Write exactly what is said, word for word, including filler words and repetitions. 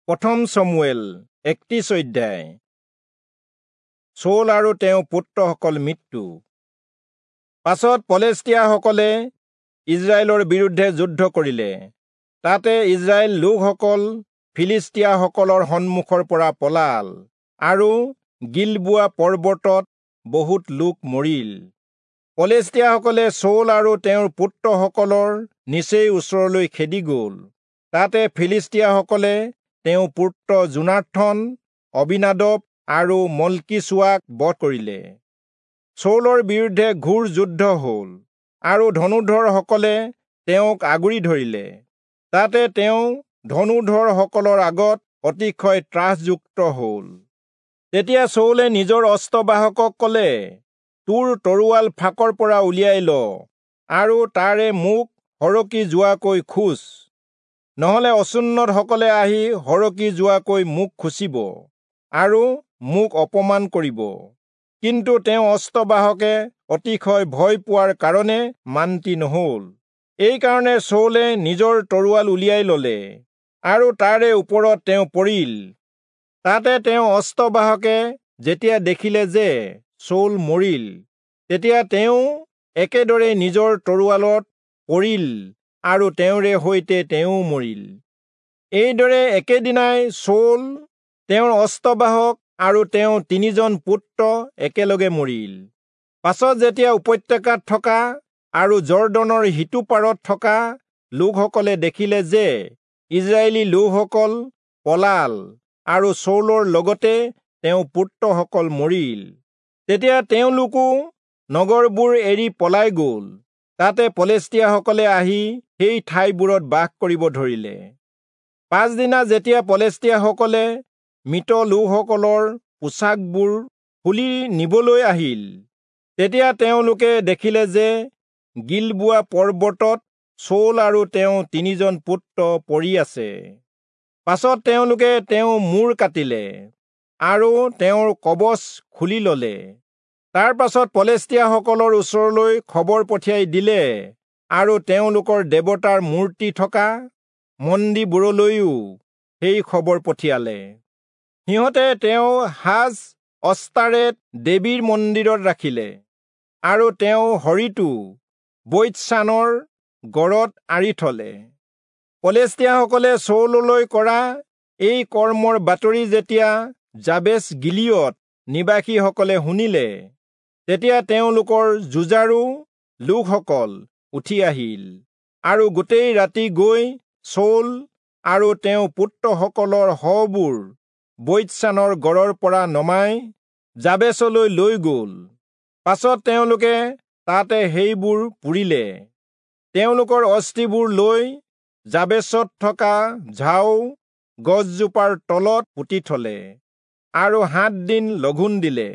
প্ৰথম চমূৱেল একত্ৰিশ অধ্যায়। চৌল আৰু তেওঁ পুত্ৰসকল মৃত্যু। পাছত পলেষ্টীয়াসকলে ইজৰাইলৰ বিৰুদ্ধে যুদ্ধ কৰিলে। তাতে ইজৰাইল লোকসকল ফিলিষ্টীয়াসকলৰ সন্মুখৰ পৰা পলাল আৰু গিলবোৱা পৰ্বতত বহুত লোক মৰিল। পলেষ্টীয়াসকলে চৌল আৰু তেওঁৰ পুত্ৰসকলৰ নিচেই ওচৰলৈ খেদি গ'ল। তাতে ফিলিষ্টীয়াসকলে তেওঁ পুত্ৰ যোনাথন, অবিনাদব আৰু মল্কীচূৱাক বধ কৰিলে। চৌলৰ বিৰুদ্ধে ঘোৰ যুদ্ধ হ'ল আৰু ধনুৰ্ধৰসকলে তেওঁক আগুৰি ধৰিলে। তাতে তেওঁ ধনুৰ্ধৰসকলৰ আগত অতিশয় ত্ৰাসযুক্ত হ'ল। তেতিয়া চৌলে নিজৰ অস্ত্ৰবাহকক ক'লে, তোৰ তৰোৱাল ফাকৰ পৰা উলিয়াই ল আৰু তাৰে মোক সৰকি যোৱাকৈ খোঁচ, নহলে অচুন্নতসকলে আহি সৰকি যোৱাকৈ মোক খুচিব আৰু মোক অপমান কৰিব। কিন্তু তেওঁ অস্ত্ৰবাহকে অতিশয় ভয় পোৱাৰ কাৰণে মান্তি নহল। এইকাৰণে চৌলে নিজৰ তৰোৱাল উলিয়াই ললে আৰু তাৰে ওপৰত তেওঁ পৰিল। তাতে তেওঁ অস্ত্ৰবাহকে যেতিয়া দেখিলে যে চৌল মৰিল, তেতিয়া তেওঁ একেদৰে নিজৰ তৰোৱালত পৰিল আৰু তেওঁৰে সৈতে তেওঁ মৰিল। এইদৰে একেদিনাই চৌল, তেওঁৰ অস্ত্ৰবাহক আৰু তেওঁ তিনিজন পুত্ৰ একেলগে মৰিল। পাছত যেতিয়া উপত্যকাত থকা আৰু যৰ্দনৰ সিটো পাৰত থকা লোকসকলে দেখিলে যে ইজৰাইলী লোকসকল পলাল আৰু চৌলৰ লগতে তেওঁ পুত্ৰসকল মৰিল, তেতিয়া তেওঁলোকো নগৰবোৰ এৰি পলাই গ'ল। তাতে পলেষ্টীয়াসকলে আহি সেই ঠাইবোৰত বাস কৰিব ধৰিলে। পাছদিনা যেতিয়া পলেষ্টীয়াসকলে মৃত লোকসকলৰ পোছাকবোৰ খুলি নিবলৈ আহিল, তেতিয়া তেওঁলোকে দেখিলে যে গিলবোৱা পৰ্বতত চৌল আৰু তেওঁ তিনিজন পুত্ৰ পৰি আছে। পাছত তেওঁলোকে তেওঁ মূৰ কাটিলে আৰু তেওঁৰ কৱচ খুলি ললে। তাৰ পাছত পলেষ্টীয়াসকলৰ ওচৰলৈ খবৰ পঠিয়াই দিলে আৰু তেওঁলোকৰ দেৱতাৰ মূৰ্তি থকা মন্দিৰবোৰলৈও সেই খবৰ পঠিয়ালে। সিহঁতে তেওঁ সাজ অস্তাৰেত দেৱীৰ মন্দিৰত ৰাখিলে আৰু তেওঁ শৰীৰটো বৈৎচানৰ গড়ত আঁৰি থলে। পলেষ্টীয়াসকলে চৌললৈ কৰা এই কৰ্মৰ বাতৰি যেতিয়া যাবেচ গিলিয়দ নিবাসীসকলে শুনিলে, তেতিয়া তেওঁলোকৰ যুঁজাৰু লোকসকল উঠি আহিল আৰু গোটেই ৰাতি গৈ চৌল আৰু তেওঁ পুত্ৰসকলৰ শৱবোৰ বৈৎচানৰ গড়ৰ পৰা নমাই যাবেচলৈ লৈ গ'ল। পাছত তেওঁলোকে তাতে সেইবোৰ পুৰিলে। তেওঁলোকৰ অস্থিবোৰ লৈ যাবেচত থকা ঝাও গছজোপাৰ তলত পুতি থলে আৰু সাত দিন লঘোণ দিলে।